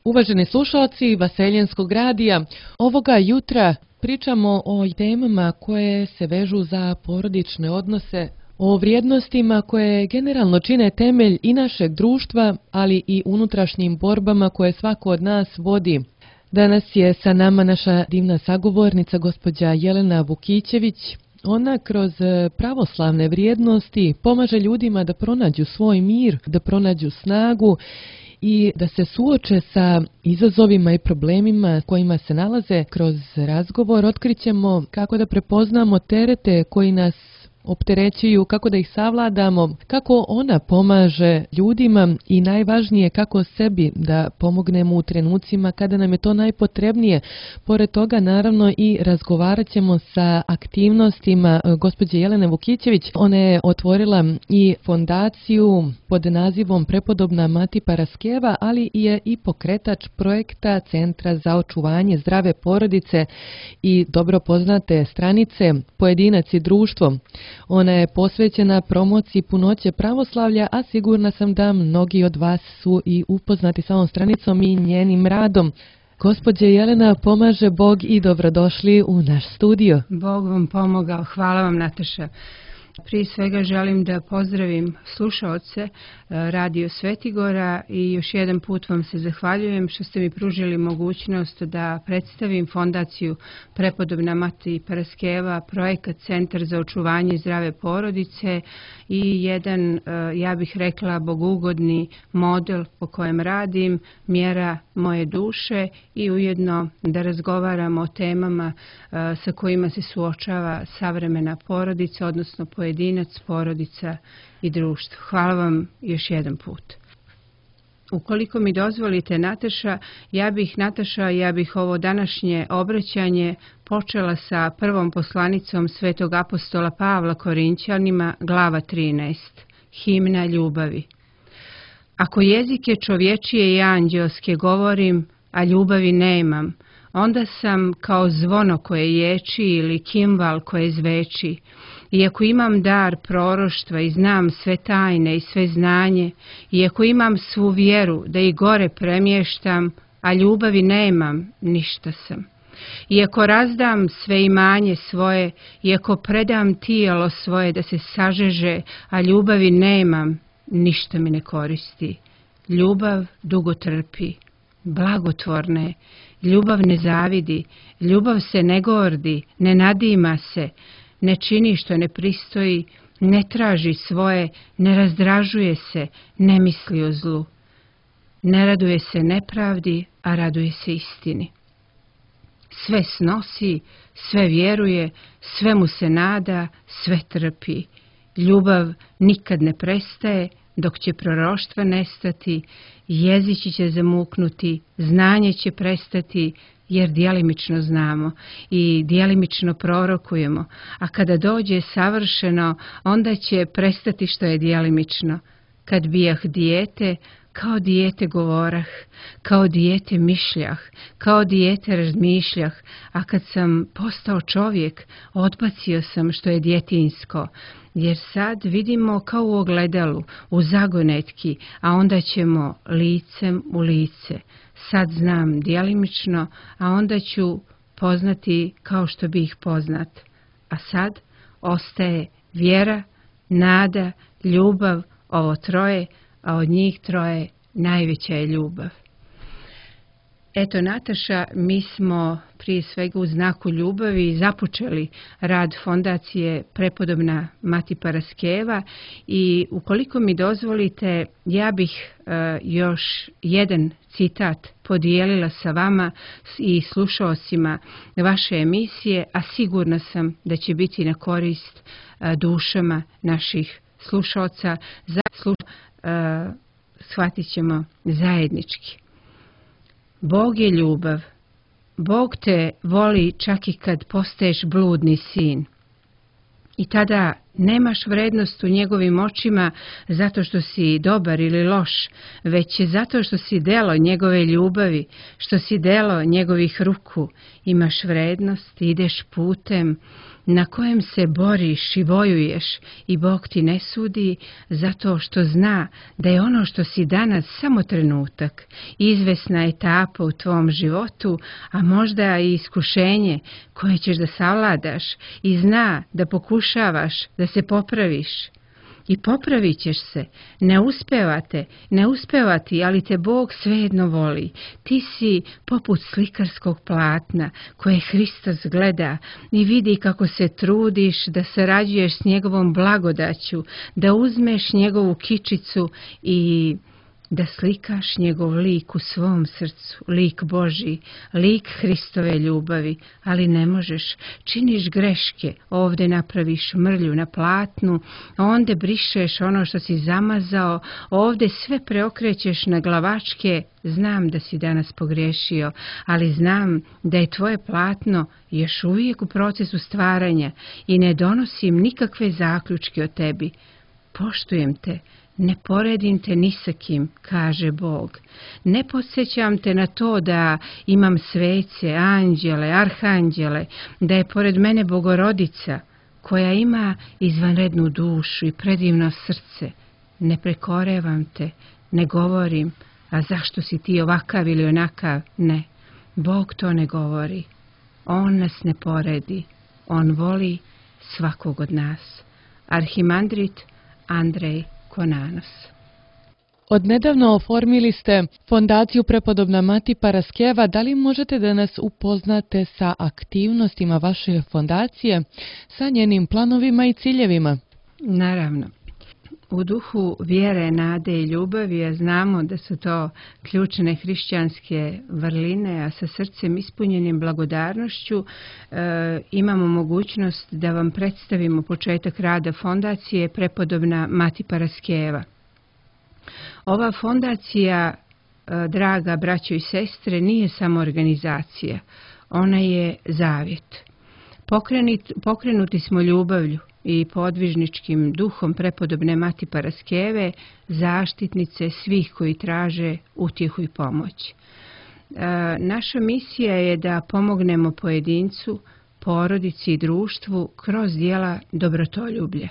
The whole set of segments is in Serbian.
Uvaženi slušalci Vaseljenskog radija, ovoga jutra pričamo o temama koje se vežu za porodične odnose, o vrijednostima koje generalno čine temelj i našeg društva, ali i unutrašnjim borbama koje svako od nas vodi. Danas je sa nama naša divna sagovornica, gospođa Jelena Vukićević. Ona kroz pravoslavne vrijednosti pomaže ljudima da pronađu svoj mir, da pronađu snagu i da se suoče sa izazovima i problemima kojima se nalaze. Kroz razgovor otkrićemo kako da prepoznamo terete koji nas opterećuju, kako da ih savladamo, kako ona pomaže ljudima i najvažnije kako sebi da pomognemo u trenucima kada nam je to najpotrebnije. Pored toga naravno i razgovarat ćemo sa aktivnostima gospođe Jelene Vukićević. Ona je otvorila i fondaciju pod nazivom Prepodobna Mati Paraskeva, ali je i pokretač projekta Centra za očuvanje zdrave porodice i dobro poznate stranice Pojedinac i društvo. Ona je posvećena promociji punoće pravoslavlja, a sigurna sam da mnogi od vas su i upoznati sa ovom stranicom i njenim radom. Gospođe Jelena, pomaže Bog i dobrodošli u naš studio. Bog vam pomogao. Hvala vam, Nataša. Prije svega želim da pozdravim slušaoce Radio Svetigora i još jedan put vam se zahvaljujem što ste mi pružili mogućnost da predstavim fondaciju Prepodobna Mati Paraskeva, projekat Centar za očuvanje zdrave porodice i jedan, ja bih rekla, bogugodni model po kojem radim, mjera moje duše i ujedno da razgovaramo o temama sa kojima se suočava savremena porodica, odnosno pojedinac, porodica i društvo. Hvala vam još jedan put. Ukoliko mi dozvolite, Nataša, ja bih ovo današnje obraćanje počela sa prvom poslanicom Svetog apostola Pavla Korinćanima, glava 13, himna ljubavi. Ako jezike čovječije i anđelske govorim, a ljubavi nemam, onda sam kao zvono koje ječi ili kimbal koje zveči. I ako imam dar proroštva i znam sve tajne i sve znanje, i ako imam svu vjeru da i gore premještam, a ljubavi nemam, ništa sam. I ako razdam sve imanje svoje, i ako predam tijelo svoje da se sažeže, a ljubavi nemam, ništa mi ne koristi. Ljubav dugo trpi, blagotvorna je, ljubav ne zavidi, ljubav se ne gordi, ne nadima se, ne čini što ne pristoji, ne traži svoje, ne razdražuje se, ne misli o zlu. Ne raduje se nepravdi, a raduje se istini. Sve snosi, sve vjeruje, sve mu se nada, sve trpi. Ljubav nikad ne prestaje, dok će proroštva nestati, jezici će zamuknuti, znanje će prestati, jer djelimično znamo i djelimično prorokujemo, a kada dođe savršeno, onda će prestati što je djelimično. Kad bijah dijete, kao dijete govorah, kao dijete mišljah, kao dijete razmišljah, a kad sam postao čovjek, odbacio sam što je djetinjsko, jer sad vidimo kao u ogledalu, u zagonetki, a onda ćemo licem u lice. Sad znam djelimično, a onda ću poznati kao što bih poznat. A sad ostaje vjera, nada, ljubav, ovo troje, a od njih troje najveća je ljubav. Eto, Nataša, mi smo prije svega u znaku ljubavi započeli rad fondacije Prepodobna Mati Paraskeva i ukoliko mi dozvolite, ja bih još jedan citat podijelila sa vama i slušaocima vaše emisije, a sigurna sam da će biti na korist dušama naših slušaoca. Shvatit ćemo zajednički. Bog je ljubav. Bog te voli čak i kad postaješ bludni sin. I tada nemaš vrednost u njegovim očima zato što si dobar ili loš, već je zato što si delo njegove ljubavi, što si delo njegovih ruku. Imaš vrednost, ideš putem, na kojem se boriš i vojuješ i Bog ti ne sudi zato što zna da je ono što si danas samo trenutak, izvesna etapa u tvom životu, a možda i iskušenje koje ćeš da savladaš i zna da pokušavaš da se popraviš. I popravit ćeš se, ne uspevati, ali te Bog svejedno voli. Ti si poput slikarskog platna koje Hristos gleda i vidi kako se trudiš da sarađuješ s njegovom blagodaću, da uzmeš njegovu kičicu i da slikaš njegov lik u svom srcu, lik Božji, lik Hristove ljubavi, ali ne možeš, činiš greške, ovdje napraviš mrlju na platnu, onda brišeš ono što si zamazao, ovdje sve preokrećeš na glavačke. Znam da si danas pogriješio, ali znam da je tvoje platno još uvijek u procesu stvaranja i ne donosim nikakve zaključke o tebi. Poštujem te. Ne poredim te ni sa kim, kaže Bog. Ne podsjećam te na to da imam svece, anđele, arhanđele, da je pored mene Bogorodica, koja ima izvanrednu dušu i predivno srce. Ne prekorevam te, ne govorim, a zašto si ti ovakav ili onakav? Ne, Bog to ne govori. On nas ne poredi, on voli svakog od nas. Arhimandrit Andrej Konanos. Odnedavno oformili ste Fondaciju Prepodobna Mati Paraskeva. Da li možete da nas upoznate sa aktivnostima vaše fondacije, sa njenim planovima i ciljevima? Naravno. U duhu vjere, nade i ljubavi, a znamo da su to ključne hrišćanske vrline, a sa srcem ispunjenim blagodarnošću imamo mogućnost da vam predstavimo početak rada fondacije Prepodobna Mati Paraskeva. Ova fondacija, draga braćo i sestre, nije samo organizacija, ona je zavjet. Pokrenuti smo ljubavlju i podvižničkim duhom Prepodobne Mati Paraskeve, zaštitnice svih koji traže utjehu i pomoć. Naša misija je da pomognemo pojedincu, porodici i društvu kroz djela dobrotoljublja.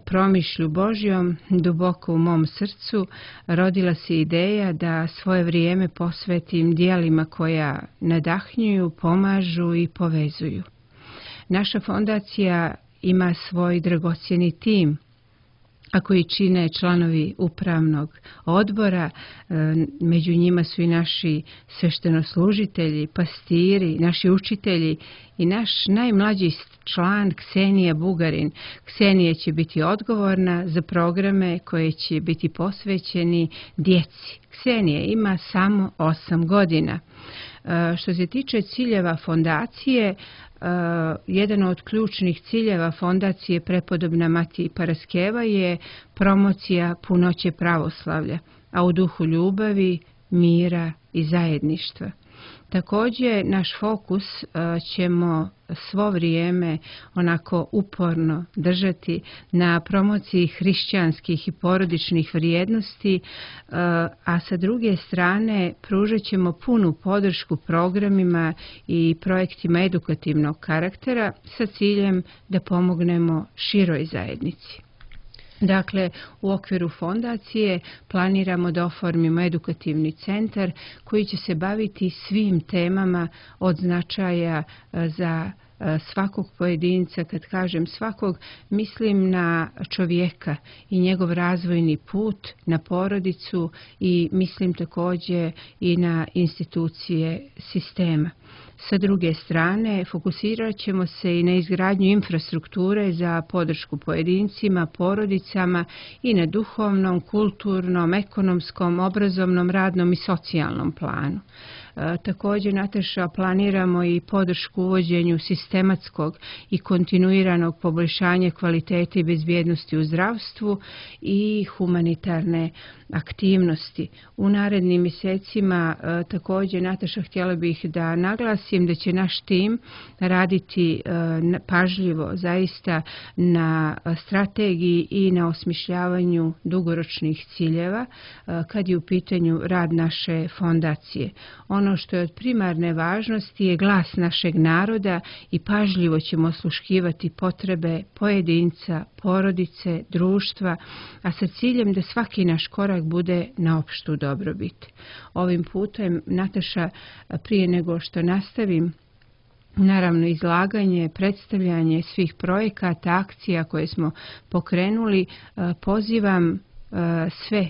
Promišlju Božjom, duboko u mom srcu, rodila se ideja da svoje vrijeme posvetim djelima koja nadahnjuju, pomažu i povezuju. Naša fondacija ima svoj dragocjeni tim, a koji čine članovi upravnog odbora, među njima su i naši sveštenoslužitelji, pastiri, naši učitelji i naš najmlađi član Ksenija Bugarin. Ksenija će biti odgovorna za programe koje će biti posvećeni djeci. Ksenija ima samo 8 godina. Što se tiče ciljeva fondacije, jedan od ključnih ciljeva fondacije Prepodobna Mati Paraskeva je promocija punoće pravoslavlja, a u duhu ljubavi, mira i zajedništva. Također, naš fokus ćemo svo vrijeme onako uporno držati na promociji hrišćanskih i porodičnih vrijednosti, a sa druge strane pružat ćemo punu podršku programima i projektima edukativnog karaktera sa ciljem da pomognemo široj zajednici. Dakle, u okviru fondacije planiramo da oformimo edukativni centar koji će se baviti svim temama od značaja za svakog pojedinca. Kad kažem svakog, mislim na čovjeka i njegov razvojni put, na porodicu i mislim također i na institucije sistema. Sa druge strane, fokusirat ćemo se i na izgradnju infrastrukture za podršku pojedincima, porodicama i na duhovnom, kulturnom, ekonomskom, obrazovnom, radnom i socijalnom planu. Također, Nataša, planiramo i podršku uvođenju sistematskog i kontinuiranog poboljšanja kvalitete i bezbjednosti u zdravstvu i humanitarne aktivnosti. U narednim mjesecima također, Nataša, htjela bih da naglasim da će naš tim raditi pažljivo zaista na strategiji i na osmišljavanju dugoročnih ciljeva kad je u pitanju rad naše fondacije. Ono ono što je od primarne važnosti je glas našeg naroda i pažljivo ćemo osluškivati potrebe pojedinca, porodice, društva, a sa ciljem da svaki naš korak bude na opštu dobrobit. Ovim putem, Nataša, prije nego što nastavim, naravno izlaganje, predstavljanje svih projekata, akcija koje smo pokrenuli, pozivam sve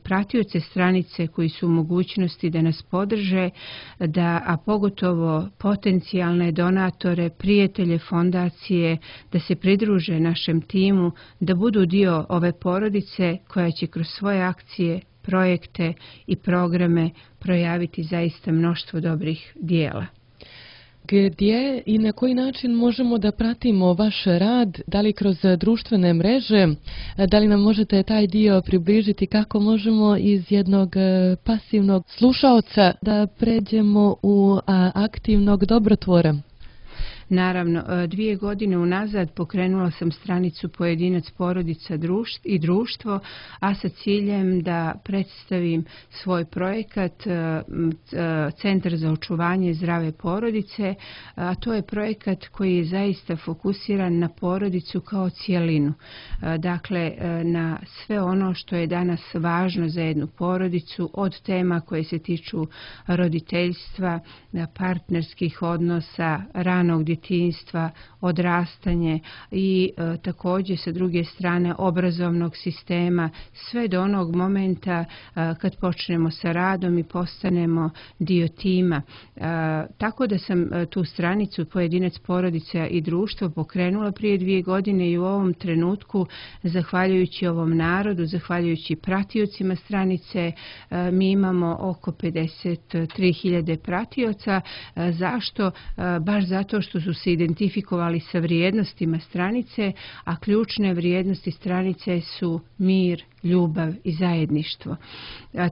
pratioce stranice koji su u mogućnosti da nas podrže, a pogotovo potencijalne donatore, prijatelje fondacije, da se pridruže našem timu, da budu dio ove porodice koja će kroz svoje akcije, projekte i programe projaviti zaista mnoštvo dobrih dijela. Gdje i na koji način možemo da pratimo vaš rad, da li kroz društvene mreže, da li nam možete taj dio približiti, kako možemo iz jednog pasivnog slušaoca da pređemo u aktivnog dobrotvora? Naravno, 2 godine unazad pokrenula sam stranicu Pojedinac, porodica i društvo, a sa ciljem da predstavim svoj projekat Centar za očuvanje zdrave porodice, a to je projekat koji je zaista fokusiran na porodicu kao cijelinu. Dakle, na sve ono što je danas važno za jednu porodicu, od tema koje se tiču roditeljstva, partnerskih odnosa, ranog djetinjstva, odrastanje i također sa druge strane obrazovnog sistema, sve do onog momenta kad počnemo sa radom i postanemo dio tima. Tako da sam tu stranicu Pojedinac, porodica i društvo pokrenula prije 2 godine i u ovom trenutku, zahvaljujući ovom narodu, zahvaljujući pratiocima stranice, mi imamo oko 53.000 pratioca. Zašto? Baš zato što su se identifikovali sa vrijednostima stranice, a ključne vrijednosti stranice su mir, ljubav i zajedništvo.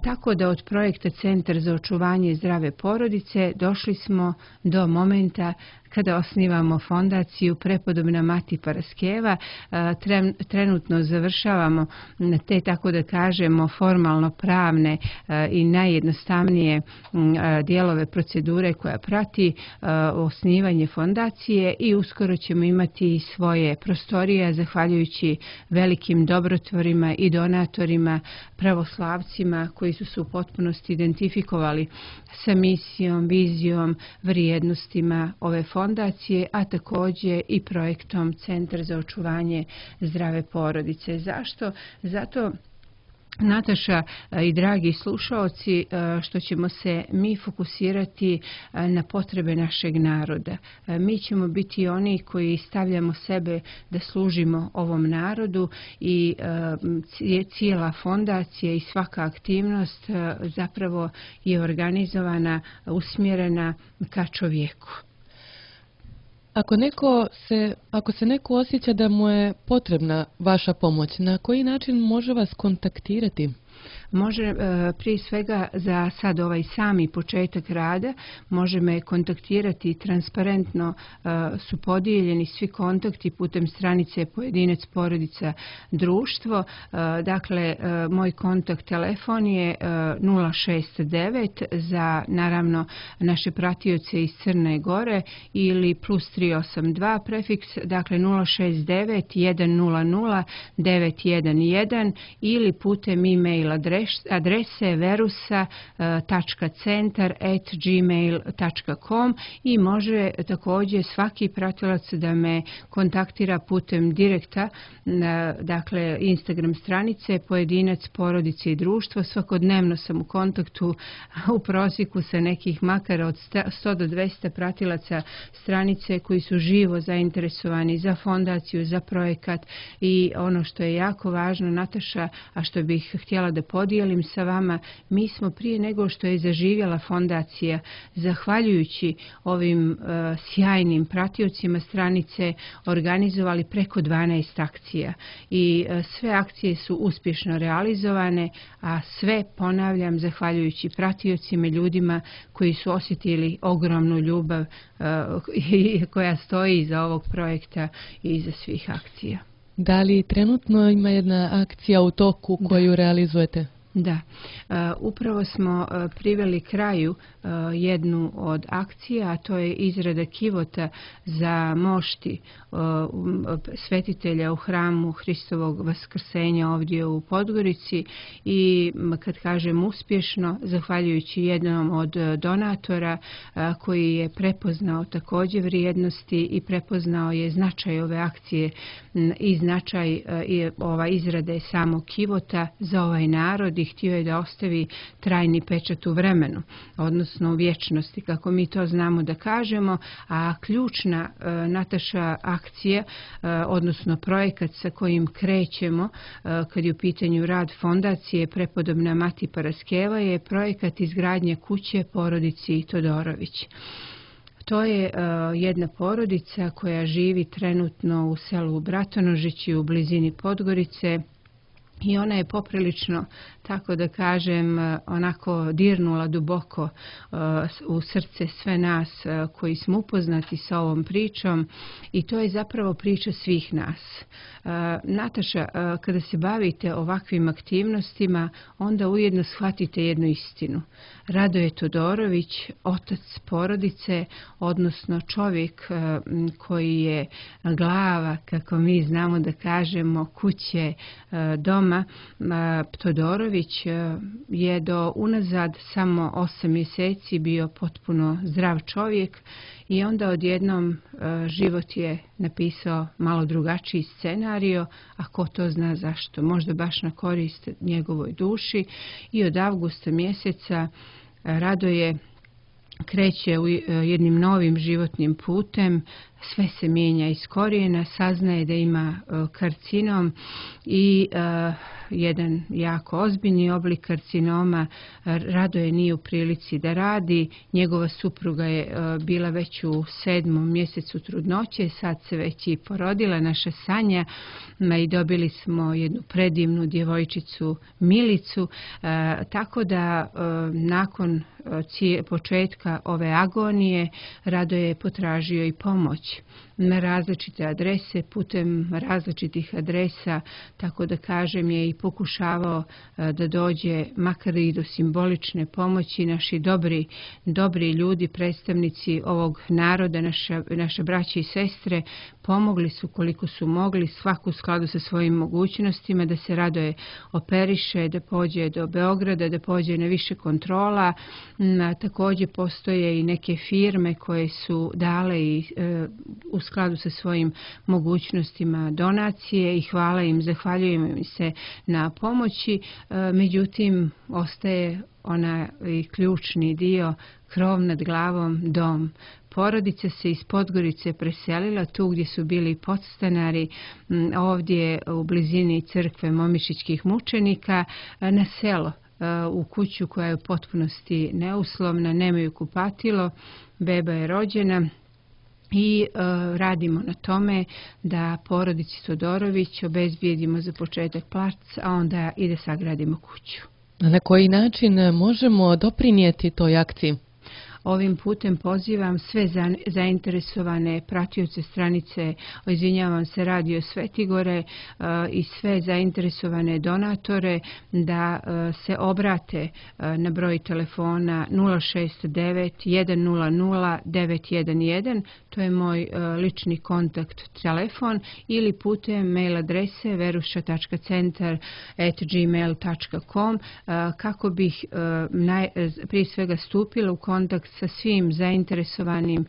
Tako da od projekta Centar za očuvanje zdrave porodice došli smo do momenta kada osnivamo fondaciju Prepodobna Mati Paraskeva. Trenutno završavamo te, tako da kažemo, formalno pravne i najjednostavnije dijelove procedure koja prati osnivanje fondacije i uskoro ćemo imati svoje prostorije zahvaljujući velikim dobrotvorima i donatorima, pravoslavcima koji su se u potpunosti identifikovali sa misijom, vizijom, vrijednostima ove fondacije, a također i projektom Centar za očuvanje zdrave porodice. Zašto? Zato, Nataša i dragi slušaoci, što ćemo se mi fokusirati na potrebe našeg naroda. Mi ćemo biti oni koji stavljamo sebe da služimo ovom narodu i cijela fondacija i svaka aktivnost zapravo je organizovana, usmjerena ka čovjeku. Ako se neko osjeća da mu je potrebna vaša pomoć, na koji način može vas kontaktirati? Može prije svega za sad ovaj sami početak rada, može me kontaktirati transparentno, su podijeljeni svi kontakti putem stranice Pojedinac, porodica, društvo. Dakle, moj kontakt telefon je 069 za naravno naše pratioce iz Crne Gore ili plus 382 prefiks, dakle 069 100 911 ili putem e-mail adrese verusa.centar@gmail.com i može također svaki pratilac da me kontaktira putem direkta, dakle Instagram stranice Pojedinac, porodice i društvo. Svakodnevno sam u kontaktu u prosjeku sa nekih makar od 100 do 200 pratilaca stranice koji su živo zainteresovani za fondaciju, za projekat i ono što je jako važno, Nataša, a što bih htjela da podijelim sa vama, mi smo prije nego što je zaživjela fondacija, zahvaljujući ovim sjajnim pratiocima stranice, organizovali preko 12 akcija i sve akcije su uspješno realizovane, a sve, ponavljam, zahvaljujući pratiocima, ljudima koji su osjetili ogromnu ljubav koja stoji iza ovog projekta i iza svih akcija. Da li trenutno ima jedna akcija u toku koju realizujete? Da, upravo smo priveli kraju jednu od akcija, a to je izrada kivota za mošti svetitelja u hramu Hristovog vaskrsenja ovdje u Podgorici i kad kažem uspješno, zahvaljujući jednom od donatora koji je prepoznao također vrijednosti i prepoznao je značaj ove akcije i značaj izrade samog kivota za ovaj narod i htio je da ostavi trajni pečat u vremenu, odnosno u vječnosti, kako mi to znamo da kažemo, a ključna Nataša akcija, odnosno projekat sa kojim krećemo kad je u pitanju rad fondacije Prepodobna Mati Paraskeva je projekat izgradnje kuće porodici Todorović. To je jedna porodica koja živi trenutno u selu Bratonožići u blizini Podgorice i ona je poprilično, tako da kažem, onako dirnula duboko u srce sve nas koji smo upoznati sa ovom pričom i to je zapravo priča svih nas. Nataša, kada se bavite ovakvim aktivnostima, onda ujedno shvatite jednu istinu. Radoje Todorović, otac porodice, odnosno čovjek koji je glava, kako mi znamo da kažemo, kuće, doma, Todorović je do unazad samo 8 mjeseci bio potpuno zdrav čovjek i onda odjednom život je napisao malo drugačiji scenario, a ko to zna zašto, možda baš na korist njegovoj duši i od avgusta mjeseca Radoje kreće u jednim novim životnim putem, sve se mijenja iz korijena, saznaje da ima karcinom i jedan jako ozbiljni oblik karcinoma. Radoje nije u prilici da radi, njegova supruga je bila već u 7. mjesecu trudnoće, sad se već i porodila naša Sanja i dobili smo jednu predivnu djevojčicu Milicu, tako da nakon početka ove agonije Radoje je potražio i pomoć na različite adrese, putem različitih adresa, tako da kažem je i pokušavao da dođe makar i do simbolične pomoći. Naši dobri ljudi, predstavnici ovog naroda, naše braće i sestre, pomogli su koliko su mogli, svaku u skladu sa svojim mogućnostima, da se Radoje operiše, da pođe do Beograda, da pođe na više kontrola. Također postoje i neke firme koje su dale i u skladu sa svojim mogućnostima donacije i hvala im, zahvaljujem im se na pomoći. Međutim, ostaje onaj ključni dio, krov nad glavom, dom. Porodica se iz Podgorice preselila tu gdje su bili podstanari, ovdje u blizini crkve Momišićkih mučenika, na selo, u kuću koja je u potpunosti neuslovna, nemaju kupatilo, beba je rođena. I radimo na tome da porodici Todorović obezbijedimo za početak plac, a onda i da sagradimo kuću. Na koji način možemo doprinijeti toj akciji? Ovim putem pozivam sve zainteresovane pratioce stranice, Radio Svetigore i sve zainteresovane donatore da se obrate na broj telefona 069 100 911, to je moj lični kontakt telefon, ili putem mail adrese veruša.centar@gmail.com kako bih prije svega stupila u kontakt sa svim zainteresovanim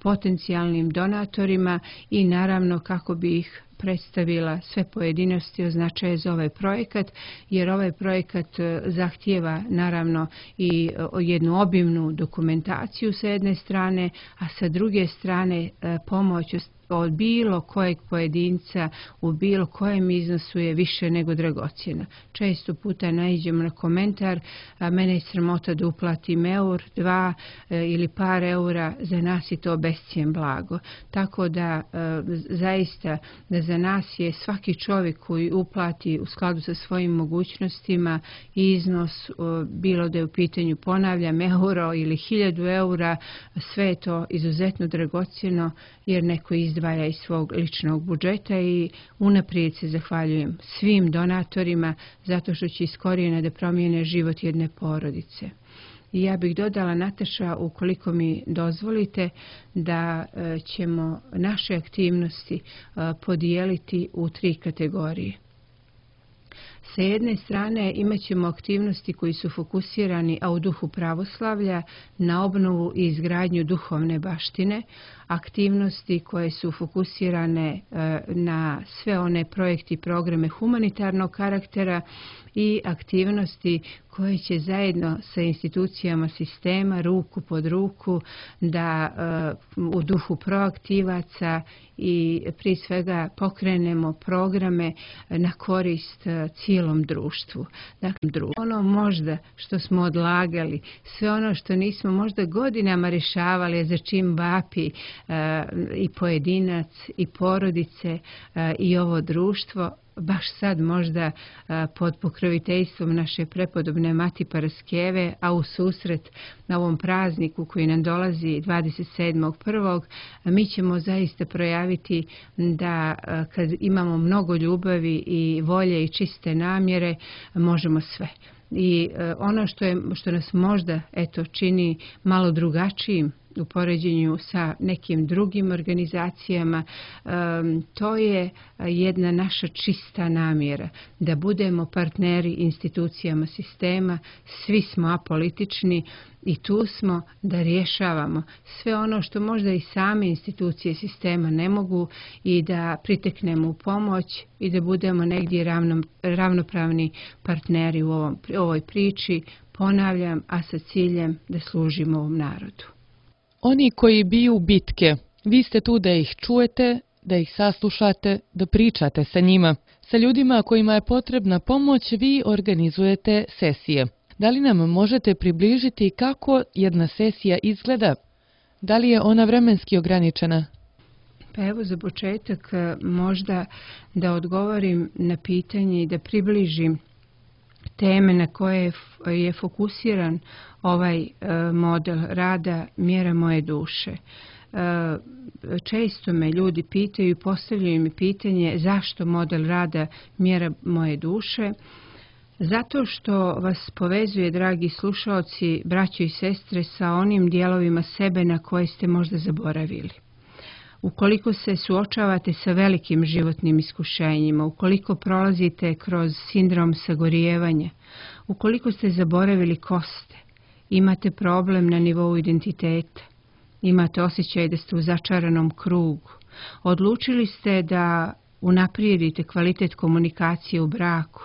potencijalnim donatorima i naravno kako bi ih predstavila sve pojedinosti o značaju za ovaj projekat, jer ovaj projekat zahtijeva naravno i jednu obimnu dokumentaciju sa jedne strane, a sa druge strane pomoć od bilo kojeg pojedinca u bilo kojem iznosu je više nego dragocjena. Često puta naiđemo na komentar, mene je sramota da uplatim eur, 2 ili par eura, za nas je to bescijen blago. Tako da zaista za nas je svaki čovjek koji uplati u skladu sa svojim mogućnostima iznos, bilo da je u pitanju, ponavljam, euro ili 1000 eura, sve je to izuzetno dragocjeno jer neko izdaje izdvaja iz svog ličnog budžeta i unaprijed se zahvaljujem svim donatorima zato što će iz korijena da promijene život jedne porodice. I ja bih dodala, Nataša, ukoliko mi dozvolite, da ćemo naše aktivnosti podijeliti u 3 kategorije. Sa jedne strane imat ćemo aktivnosti koji su fokusirani, a u duhu pravoslavlja, na obnovu i izgradnju duhovne baštine, aktivnosti koje su fokusirane na sve one projekte i programe humanitarnog karaktera i aktivnosti koje će zajedno sa institucijama sistema, ruku pod ruku, da u duhu proaktivaca i prije svega pokrenemo programe na korist cijelom društvu. Dakle, ono možda što smo odlagali, sve ono što nismo možda godinama rješavali, za čim vapi i pojedinac i porodice i ovo društvo, baš sad možda pod pokroviteljstvom naše prepodobne Mati Paraskeve, a u susret na ovom prazniku koji nam dolazi 27.1. mi ćemo zaista projaviti da kad imamo mnogo ljubavi i volje i čiste namjere, možemo sve. I ono što nas možda čini malo drugačijim u poređenju sa nekim drugim organizacijama, to je jedna naša čista namjera, da budemo partneri institucijama sistema, svi smo apolitični i tu smo da rješavamo sve ono što možda i same institucije sistema ne mogu i da priteknemo u pomoć i da budemo negdje ravnopravni partneri u ovoj priči, ponavljam, a sa ciljem da služimo ovom narodu. Oni koji biju bitke, vi ste tu da ih čujete, da ih saslušate, da pričate sa njima. Sa ljudima kojima je potrebna pomoć vi organizujete sesije. Da li nam možete približiti kako jedna sesija izgleda? Da li je ona vremenski ograničena? Pa evo za početak možda da odgovorim na pitanje i da približim teme na koje je fokusiran ovaj model rada Mjera moje duše. Često me ljudi pitaju i postavljaju mi pitanje zašto model rada Mjera moje duše. Zato što vas povezuje, dragi slušaoci, braćo i sestre, sa onim dijelovima sebe na koje ste možda zaboravili. Ukoliko se suočavate sa velikim životnim iskušenjima, ukoliko prolazite kroz sindrom sagorijevanja, ukoliko ste zaboravili ko ste, imate problem na nivou identiteta, imate osjećaj da ste u začaranom krugu, odlučili ste da unaprijedite kvalitet komunikacije u braku,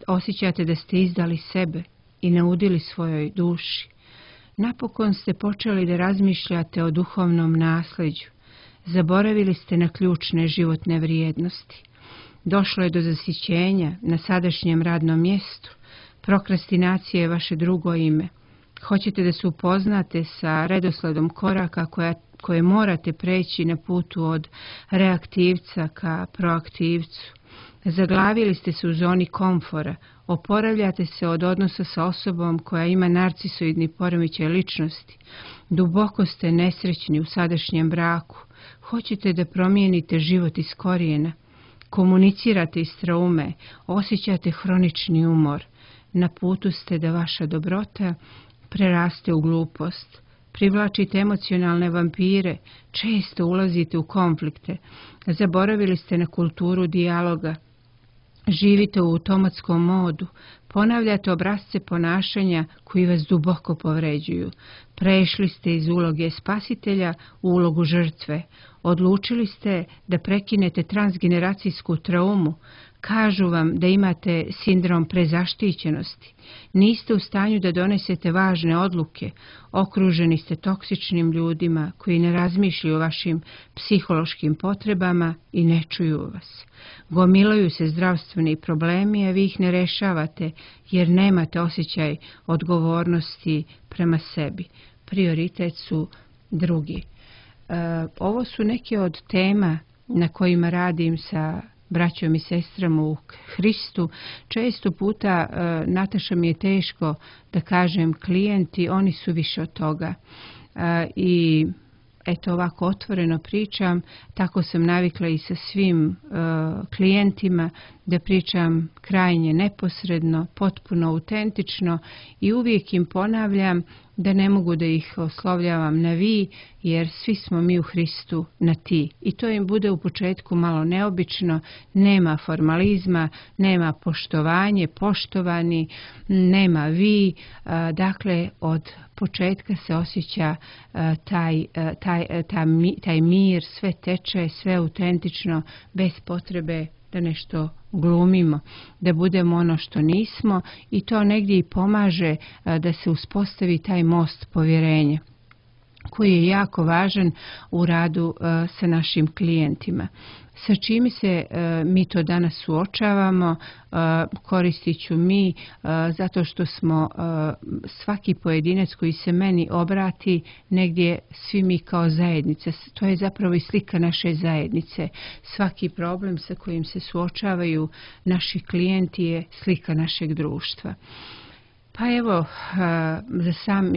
osjećate da ste izdali sebe i naudili svojoj duši, napokon ste počeli da razmišljate o duhovnom nasljeđu, zaboravili ste na ključne životne vrijednosti, došlo je do zasićenja na sadašnjem radnom mjestu, prokrastinacija je vaše drugo ime, hoćete da se upoznate sa redosledom koraka koje morate preći na putu od reaktivca ka proaktivcu. Zaglavili ste se u zoni komfora, oporavljate se od odnosa sa osobom koja ima narcisoidni poremećaj ličnosti. Duboko ste nesrećni u sadašnjem braku. Hoćete da promijenite život iz korijena. Komunicirate iz traume, osjećate hronični umor. Na putu ste da vaša dobrota preraste u glupost. Privlačite emocionalne vampire, često ulazite u konflikte. Zaboravili ste na kulturu dijaloga. Živite u automatskom modu, ponavljate obrasce ponašanja koji vas duboko povređuju. Prešli ste iz uloge spasitelja u ulogu žrtve. Odlučili ste da prekinete transgeneracijsku traumu. Kažu vam da imate sindrom prezaštićenosti. Niste u stanju da donesete važne odluke. Okruženi ste toksičnim ljudima koji ne razmišljaju o vašim psihološkim potrebama i ne čuju vas. Gomilaju se zdravstveni problemi, a vi ih ne rešavate jer nemate osjećaj odgovornosti prema sebi. Prioritet su drugi. Ovo su neke od tema na kojima radim sa braćom i sestrama u Hristu. Često puta, Nataša, mi je teško da kažem klijenti, oni su više od toga. I eto ovako otvoreno pričam, tako sam navikla i sa svim klijentima da pričam krajnje neposredno, potpuno autentično i uvijek im ponavljam da ne mogu da ih oslovljavam na vi, jer svi smo mi u Hristu na ti. I to im bude u početku malo neobično, nema formalizma, nema poštovanje, poštovani, nema vi, dakle od početka se osjeća taj mir, sve teče, sve autentično, bez potrebe da nešto glumimo, da budemo ono što nismo i to negdje i pomaže da se uspostavi taj most povjerenja koji je jako važan u radu sa našim klijentima. Sa čime se mi to danas suočavamo, koristit ću mi zato što smo svaki pojedinac koji se meni obrati negdje svi mi kao zajednica. To je zapravo i slika naše zajednice. Svaki problem sa kojim se suočavaju naši klijenti je slika našeg društva. Pa evo,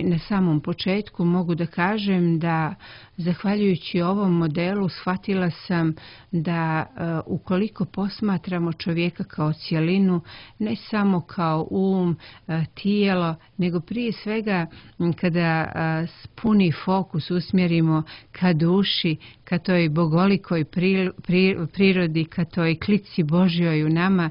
na samom početku mogu da kažem da zahvaljujući ovom modelu shvatila sam da ukoliko posmatramo čovjeka kao cjelinu, ne samo kao tijelo, nego prije svega kada puni fokus usmjerimo ka duši, ka toj bogolikoj prirodi, ka toj klici Božjoj u nama,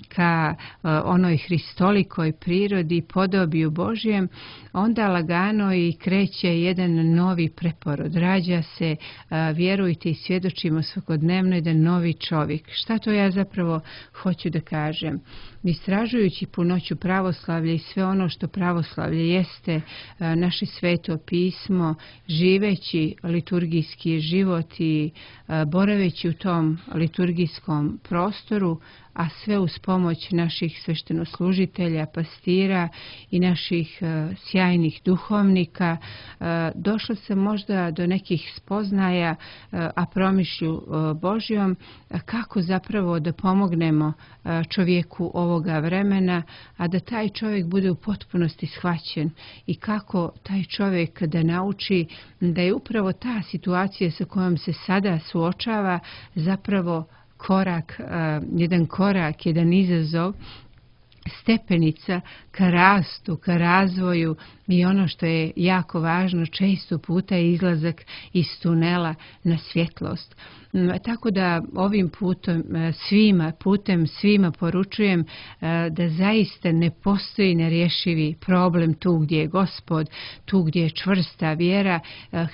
ka onoj hristolikoj prirodi i podobiju Božjem, onda lagano i kreće jedan novi preporod. Rađa se, vjerujte i svjedočimo svakodnevno, jedan novi čovjek. Šta to ja zapravo hoću da kažem? Istražujući punoću pravoslavlja i sve ono što pravoslavlje jeste, naše sveto pismo, živeći liturgijski život i boraveći u tom liturgijskom prostoru, a sve uz pomoć naših sveštenoslužitelja, pastira i naših sjajnih duhovnika, došla sam možda do nekih spoznaja, a promišlju Božjom, kako zapravo da pomognemo čovjeku ovoga vremena, a da taj čovjek bude u potpunosti shvaćen i kako taj čovjek da nauči da je upravo ta situacija sa kojom se sada suočava zapravo jedan izazov, stepenica ka rastu, ka razvoju i ono što je jako važno, često puta je izlazak iz tunela na svjetlost. Tako da ovim putem svima poručujem da zaista ne postoji nerješivi problem tu gdje je Gospod, tu gdje je čvrsta vjera,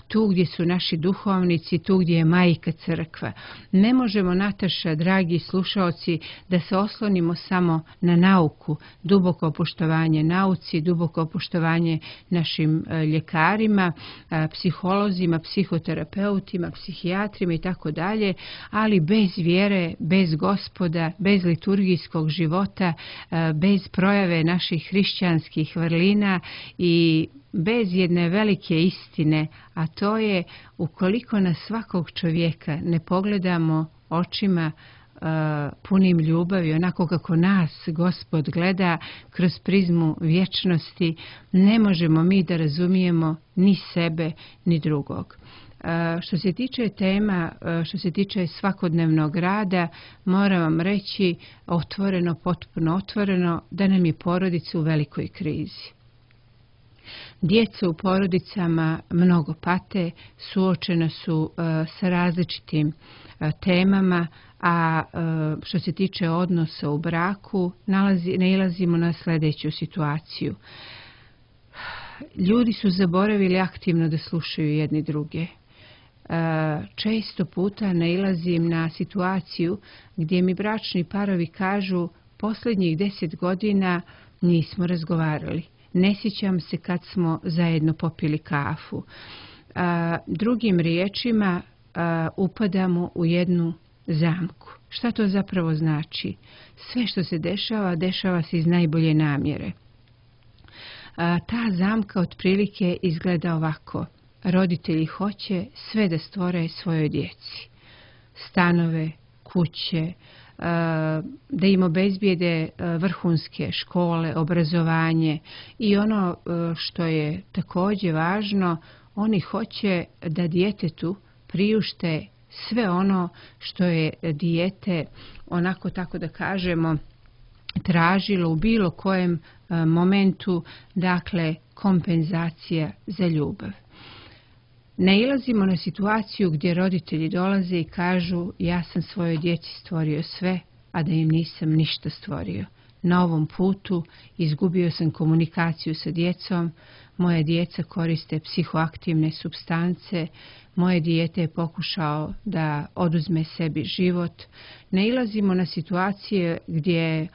tu gdje su naši duhovnici, tu gdje je majka crkva. Ne možemo, Nataša, dragi slušaoci, da se oslonimo samo na nauku, duboko poštovanje nauci, duboko poštovanje našim ljekarima, psiholozima, psihoterapeutima, psihijatrima i tako dalje, ali bez vjere, bez Gospoda, bez liturgijskog života, bez projave naših hrišćanskih vrlina i bez jedne velike istine, a to je ukoliko na svakog čovjeka ne pogledamo očima punim ljubavi, onako kako nas Gospod gleda kroz prizmu vječnosti, ne možemo mi da razumijemo ni sebe ni drugog. Što se tiče tema, što se tiče svakodnevnog rada, moram vam reći otvoreno, potpuno otvoreno, da nam je porodica u velikoj krizi. Djeca u porodicama mnogo pate, suočena su sa različitim temama, a što se tiče odnosa u braku, nailazimo na sljedeću situaciju. Ljudi su zaboravili aktivno da slušaju jedni druge. Često puta nailazim na situaciju gdje mi bračni parovi kažu posljednjih 10 godina nismo razgovarali. Ne sjećam se kad smo zajedno popili kafu. Drugim riječima, upadamo u jednu zamku. Šta to zapravo znači? Sve što se dešava, dešava se iz najbolje namjere. Ta zamka otprilike izgleda ovako. Roditelji hoće sve da stvore svojoj djeci. Stanove, kuće, da im obezbijede vrhunske škole, obrazovanje i ono što je također važno, oni hoće da djetetu priušte sve ono što je dijete, onako tako da kažemo, tražilo u bilo kojem momentu, dakle kompenzacija za ljubav. Nailazimo na situaciju gdje roditelji dolaze i kažu ja sam svojoj djeci stvorio sve, a da im nisam ništa stvorio. Na ovom putu izgubio sam komunikaciju sa djecom, moje djeca koriste psihoaktivne supstance, moje dijete je pokušao da oduzme sebi život. Nailazimo na situacije gdje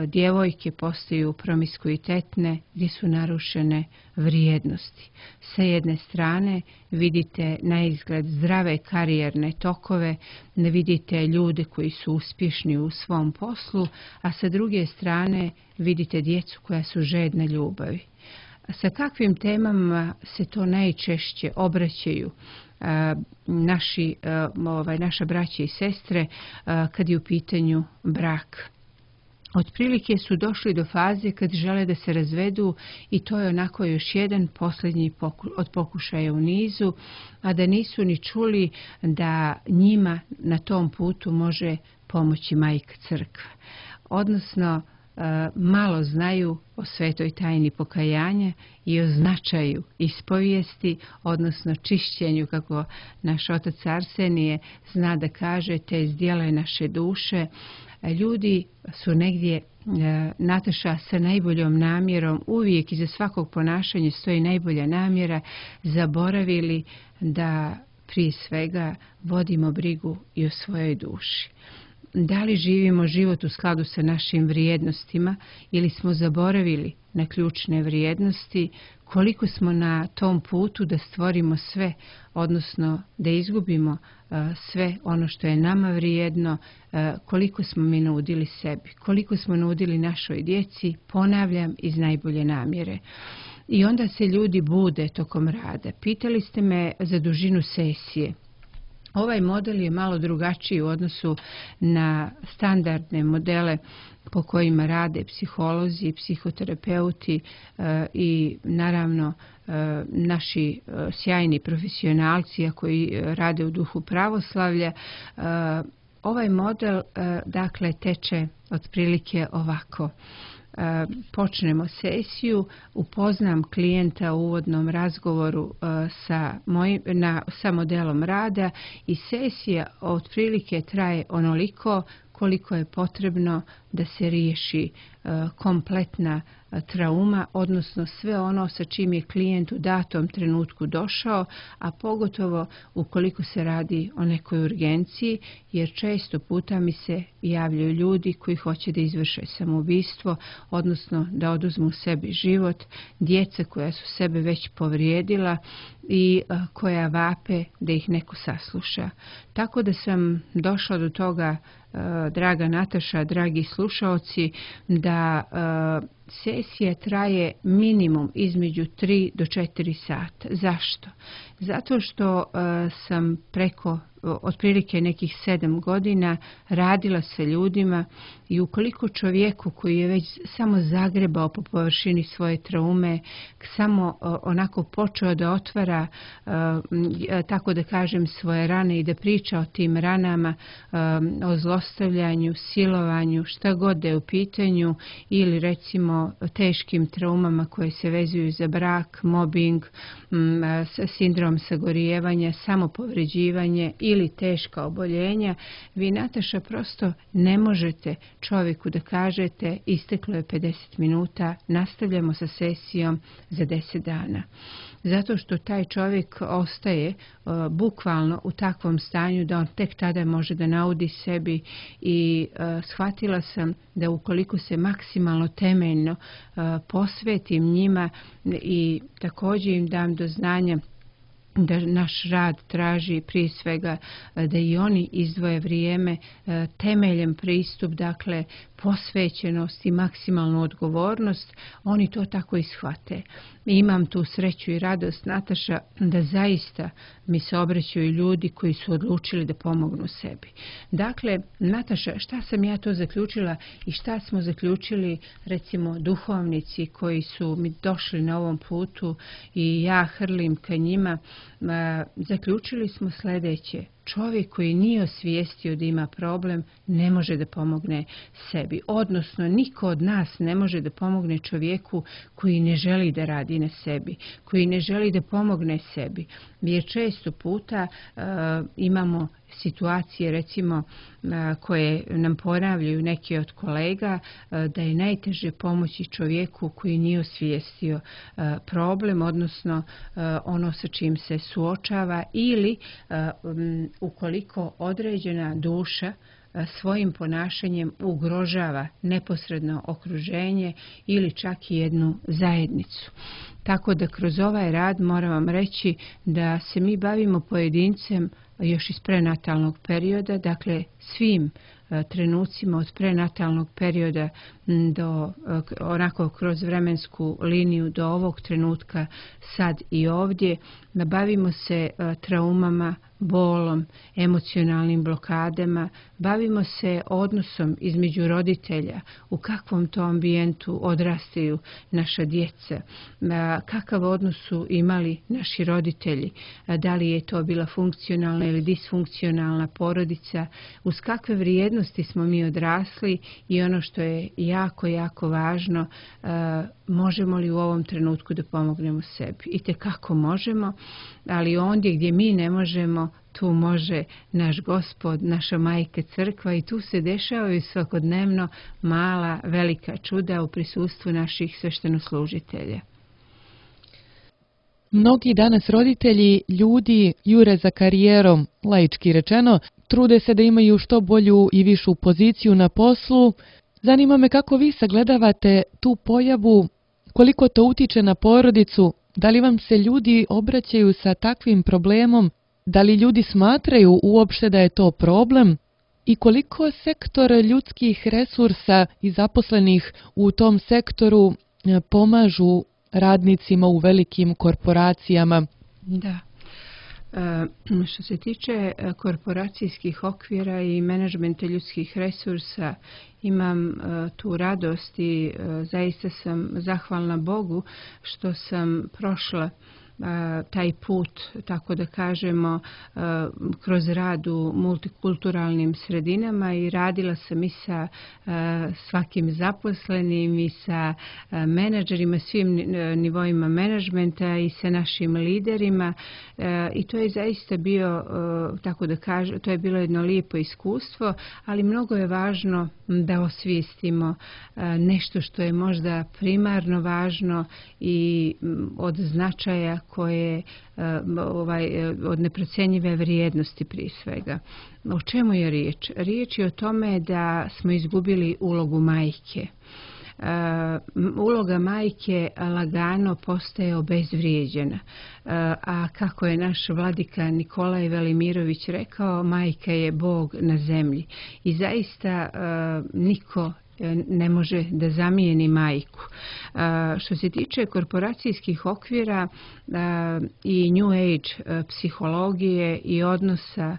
djevojke postaju promiskuitetne, gdje su narušene vrijednosti. Sa jedne strane vidite na izgled zdrave karijerne tokove, ne vidite ljude koji su uspješni u svom poslu, a sa druge strane vidite djecu koja su žedna ljubavi. Sa kakvim temama se to najčešće obraćaju naša braća i sestre kad je u pitanju brak? Otprilike su došli do faze kad žele da se razvedu i to je onako još jedan posljednji od pokušaja u nizu, a da nisu ni čuli da njima na tom putu može pomoći Majka Crkva. Odnosno, malo znaju o svetoj tajni pokajanja i o značaju ispovijesti, odnosno čišćenju, kako naš otac Arsenije zna da kaže, te zdjele naše duše. Ljudi su negdje, Nataša, sa najboljom namjerom, uvijek iza svakog ponašanja stoji najbolja namjera, zaboravili da prije svega vodimo brigu i o svojoj duši. Da li živimo život u skladu sa našim vrijednostima ili smo zaboravili na ključne vrijednosti, koliko smo na tom putu da stvorimo sve, odnosno da izgubimo sve ono što je nama vrijedno, koliko smo mi nudili sebi, koliko smo nudili našoj djeci, ponavljam, iz najbolje namjere. I onda se ljudi bude tokom rada. Pitali ste me za dužinu sesije. Ovaj model je malo drugačiji u odnosu na standardne modele po kojima rade psiholozi, psihoterapeuti i naravno naši sjajni profesionalci koji rade u duhu pravoslavlja. Ovaj model dakle teče otprilike ovako. Počnemo sesiju, upoznam klijenta u uvodnom razgovoru sa modelom rada i sesija otprilike traje onoliko koliko je potrebno da se riješi kompletna trauma, odnosno sve ono sa čim je klijent u datom trenutku došao, a pogotovo ukoliko se radi o nekoj urgenciji, jer često puta mi se javljaju ljudi koji hoće da izvrše samoubistvo, odnosno da oduzmu sebi život, djeca koja su sebe već povrijedila i koja vape da ih neko sasluša. Tako da sam došla do toga, draga Nataša, dragi slušaoci, da sesija traje minimum između 3 do 4 sata. Zašto? Zato što sam preko otprilike nekih 7 godina radila sa ljudima i ukoliko čovjeku koji je već samo zagrebao po površini svoje traume, samo onako počeo da otvara, tako da kažem, svoje rane i da priča o tim ranama, o zlostavljanju, silovanju, šta god da je u pitanju, ili recimo teškim traumama koje se vezuju za brak, mobbing, sindrom sagorijevanja, samopovređivanje ili teška oboljenja, vi, Nataša, prosto ne možete čovjeku da kažete isteklo je 50 minuta, nastavljamo sa sesijom za 10 dana. Zato što taj čovjek ostaje bukvalno u takvom stanju da on tek tada može da naudi sebi i shvatila sam da ukoliko se maksimalno temeljno posvetim njima i također im dam do znanja da naš rad traži prije svega da i oni izdvoje vrijeme, temeljem pristup, dakle posvećenost i maksimalnu odgovornost, oni to tako i shvate. Imam tu sreću i radost, Nataša, da zaista mi se obraćaju ljudi koji su odlučili da pomognu sebi. Dakle, Nataša, šta sam ja to zaključila i šta smo zaključili, recimo, duhovnici koji su mi došli na ovom putu i ja hrlim ka njima, zaključili smo sljedeće. Čovjek koji nije osvijestio da ima problem ne može da pomogne sebi. Odnosno, niko od nas ne može da pomogne čovjeku koji ne želi da radi na sebi, koji ne želi da pomogne sebi. Jer često puta imamo situacije, recimo, koje nam ponavljaju neki od kolega, da je najteže pomoći čovjeku koji nije osvijestio problem, odnosno ono sa čim se suočava, ili ukoliko određena duša svojim ponašanjem ugrožava neposredno okruženje ili čak i jednu zajednicu. Tako da kroz ovaj rad moram vam reći da se mi bavimo pojedincem još iz prenatalnog perioda, dakle svim trenucima od prenatalnog perioda do onako kroz vremensku liniju do ovog trenutka sad i ovdje. Bavimo se traumama, bolom, emocionalnim blokadama, bavimo se odnosom između roditelja, u kakvom to ambijentu odrastaju naša djeca, kakav odnos su imali naši roditelji, da li je to bila funkcionalna ili disfunkcionalna porodica, uz kakve vrijednosti smo mi odrasli i ono što je jako, jako važno, možemo li u ovom trenutku da pomognemo sebi. I tekako možemo, ali ondje gdje mi ne možemo, tu može naš Gospod, naša majka crkva i tu se dešavaju svakodnevno mala, velika čuda u prisustvu naših sveštenoslužitelja. Mnogi danas roditelji, ljudi jure za karijerom, laički rečeno, trude se da imaju što bolju i višu poziciju na poslu. Zanima me kako vi sagledavate tu pojavu, koliko to utiče na porodicu, da li vam se ljudi obraćaju sa takvim problemom, da li ljudi smatraju uopšte da je to problem i koliko sektor ljudskih resursa i zaposlenih u tom sektoru pomažu radnicima u velikim korporacijama? Da. Što se tiče korporacijskih okvira i menadžmenta ljudskih resursa, imam tu radost i zaista sam zahvalna Bogu što sam prošla taj put, tako da kažemo, kroz rad u multikulturalnim sredinama i radila sam i sa svakim zaposlenim i sa menadžerima, svim nivoima menadžmenta i sa našim liderima i to je zaista bio, tako da kažem, to je bilo jedno lijepo iskustvo, ali mnogo je važno da osvijestimo nešto što je možda primarno važno i od značaja koje od neprocjenjive vrijednosti prije svega. O čemu je riječ? Riječ je o tome da smo izgubili ulogu majke. Uloga majke lagano postaje obezvrijeđena. A kako je naš vladika Nikolaj Velimirović rekao, majka je Bog na zemlji. I zaista niko ne može da zamijeni majku. Što se tiče korporacijskih okvira i New Age psihologije i odnosa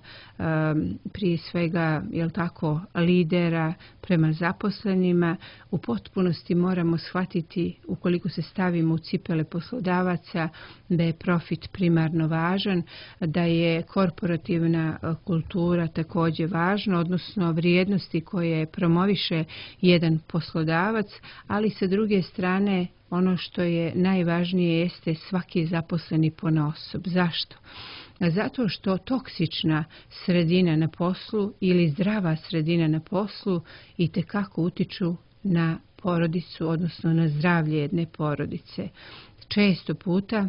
prije svega, jel tako, lidera prema zaposlenima, u potpunosti moramo shvatiti, ukoliko se stavimo u cipele poslodavaca, da je profit primarno važan, da je korporativna kultura također važna, odnosno vrijednosti koje promoviše jedan poslodavac, ali sa druge strane ono što je najvažnije jeste svaki zaposleni ponaosob. Zašto? Zato što toksična sredina na poslu ili zdrava sredina na poslu itekako utiču na porodicu, odnosno na zdravlje jedne porodice. Često puta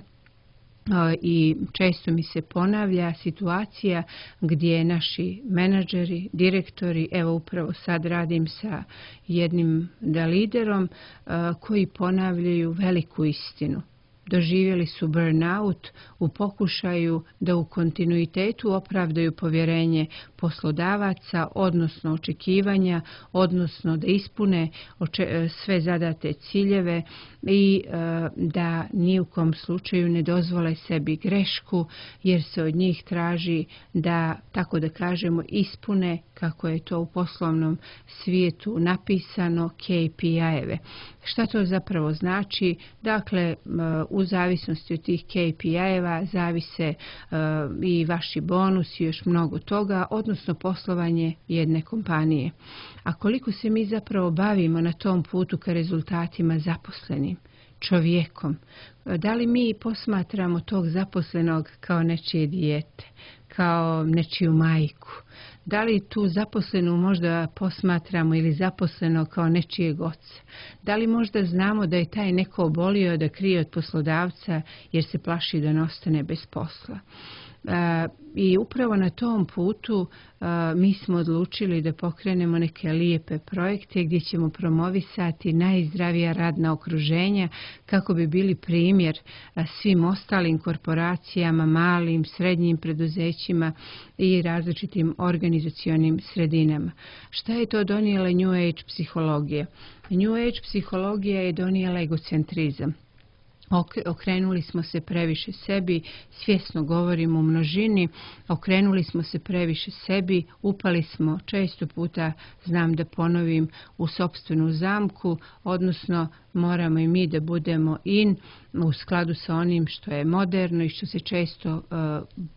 i često mi se ponavlja situacija gdje naši menadžeri, direktori, evo upravo sad radim sa jednim liderom koji ponavljaju veliku istinu. doživjeli su burnout u pokušaju da u kontinuitetu opravdaju povjerenje poslodavaca, odnosno očekivanja, odnosno da ispune sve zadate ciljeve i da ni u kom slučaju ne dozvole sebi grešku, jer se od njih traži da, tako da kažemo, ispune, kako je to u poslovnom svijetu napisano, KPI-eve. Šta to zapravo znači? Dakle, u zavisnosti od tih KPI-eva zavise i vaši bonusi i još mnogo toga, odnosno poslovanje jedne kompanije. A koliko se mi zapravo bavimo na tom putu ka rezultatima zaposlenim, čovjekom? Da li mi posmatramo tog zaposlenog kao nečije dijete, kao nečiju majku? Da li tu zaposlenu možda posmatramo ili zaposleno kao nečijeg oca? Da li možda znamo da je taj neko obolio da krije od poslodavca jer se plaši da ne ostane bez posla? I upravo na tom putu mi smo odlučili da pokrenemo neke lijepe projekte gdje ćemo promovisati najzdravija radna okruženja kako bi bili primjer svim ostalim korporacijama, malim, srednjim preduzećima i različitim organizacionim sredinama. Šta je to donijela New Age psihologija? New Age psihologija je donijela egocentrizam. Okrenuli smo se previše sebi, svjesno govorimo u množini, okrenuli smo se previše sebi, upali smo često puta, znam da ponovim, u sopstvenu zamku, odnosno moramo i mi da budemo u skladu sa onim što je moderno i što se često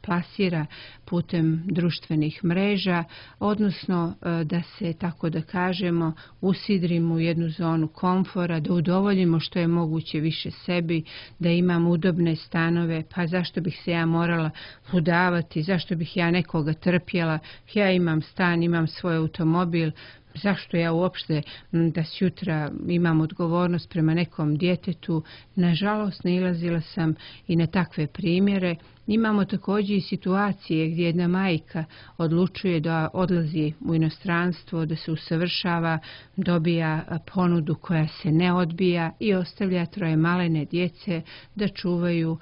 plasira putem društvenih mreža, odnosno da se, tako da kažemo, usidrimo u jednu zonu komfora, da udovoljimo što je moguće više sebi, da imam udobne stanove, pa zašto bih se ja morala udavati, zašto bih ja nekoga trpjela, ja imam stan, imam svoj automobil, zašto ja uopšte da sutra imam odgovornost prema nekom djetetu. Nažalost, nailazila sam i na takve primjere. Imamo također i situacije gdje jedna majka odlučuje da odlazi u inostranstvo, da se usavršava, dobija ponudu koja se ne odbija i ostavlja 3 malene djece da čuvaju